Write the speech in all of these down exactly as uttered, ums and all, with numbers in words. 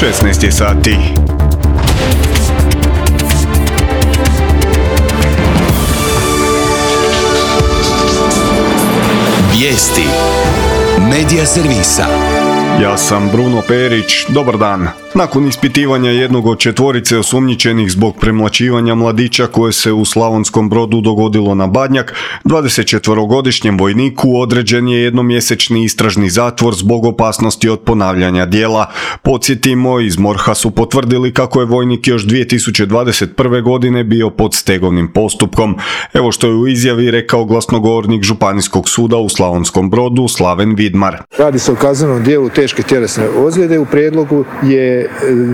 šesnaest je sati. Vijesti Medija servisa. Ja sam Bruno Perić, dobar dan. Nakon ispitivanja jednog od četvorice osumnjičenih zbog premlaćivanja mladića koje se u Slavonskom Brodu dogodilo na Badnjak, dvadesetčetverogodišnjem vojniku određen je jednomjesečni istražni zatvor zbog opasnosti od ponavljanja djela. Podsjetimo, iz MORH-a su potvrdili kako je vojnik još dvije tisuće dvadeset prve. godine bio pod stegovnim postupkom. Evo što je u izjavi rekao glasnogovornik Županijskog suda u Slavonskom Brodu Slaven Vidmar. Radi se o kaznenom djelu teške tjelesne ozljede. U prijedlogu je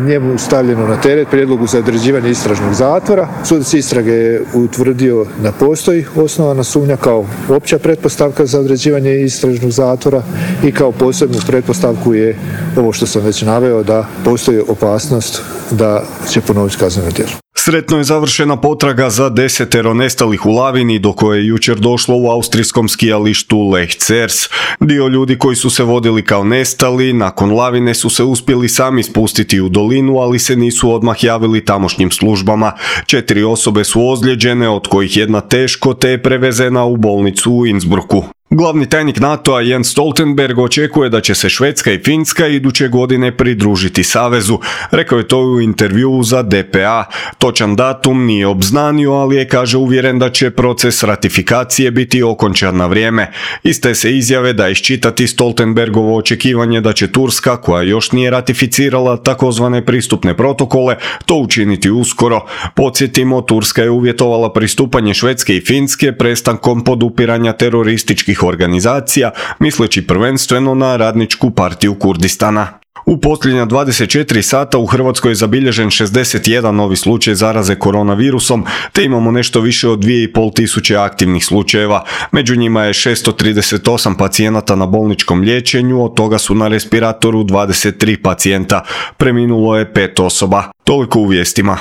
njemu stavljeno na teret prijedlogu za određivanje istražnog zatvora. Sudac istrage je utvrdio da postoji osnovana sumnja kao opća pretpostavka za određivanje istražnog zatvora i kao posebnu pretpostavku je ovo što sam već naveo, da postoji opasnost da će ponoviti kazneno djelo. Sretno je završena potraga za desetero nestalih u lavini do koje je jučer došlo u austrijskom skijalištu Lech Zers. Dio ljudi koji su se vodili kao nestali, nakon lavine su se uspjeli sami spustiti u dolinu, ali se nisu odmah javili tamošnjim službama. Četiri osobe su ozlijeđene, od kojih jedna teško, te je prevezena u bolnicu u Innsbrucku. Glavni tajnik NATO-a Jens Stoltenberg očekuje da će se Švedska i Finska iduće godine pridružiti savezu. Rekao je to u intervjuu za D P A. Točan datum nije obznanio, ali je, kaže, uvjeren da će proces ratifikacije biti okončan na vrijeme. Iz te se izjave da iščitati Stoltenbergovo očekivanje da će Turska, koja još nije ratificirala takozvane pristupne protokole, to učiniti uskoro. Podsjetimo, Turska je uvjetovala pristupanje Švedske i Finske prestankom podupiranja terorističkih organizacija, misleći prvenstveno na Radničku partiju Kurdistana. U posljednja dvadeset četiri sata u Hrvatskoj je zabilježen šezdeset jedan novi slučaj zaraze koronavirusom, te imamo nešto više od dvije i pol tisuće aktivnih slučajeva. Među njima je šesto trideset osam pacijenata na bolničkom liječenju, od toga su na respiratoru dvadeset tri pacijenta. Preminulo je pet osoba. Toliko u vijestima.